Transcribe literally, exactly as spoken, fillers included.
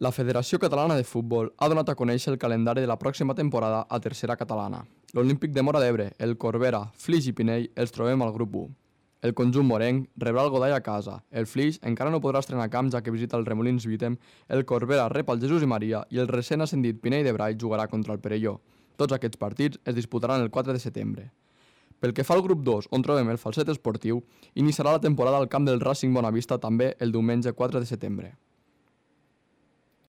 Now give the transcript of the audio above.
La Federació Catalana de Futbol ha donat a conèixer el calendari de la pròxima temporada a Tercera Catalana. L'Olímpic de Móra d'Ebre, el Corbera, Flix i Pinell els trobem al grup u. El conjunt morenc rebrà el Godall a casa. El Flix encara no podrà estrenar camp ja que visita el Remolins Vítem, el Corbera rep el Jesús i Maria i el recent ascendit Pinell de Brai jugarà contra el Perelló. Tots aquests partits es disputaran el quatre de setembre. Pel que fa al grup dos, on trobem el Falset Esportiu, iniciarà la temporada al camp del Racing Bonavista també el diumenge quatre de setembre.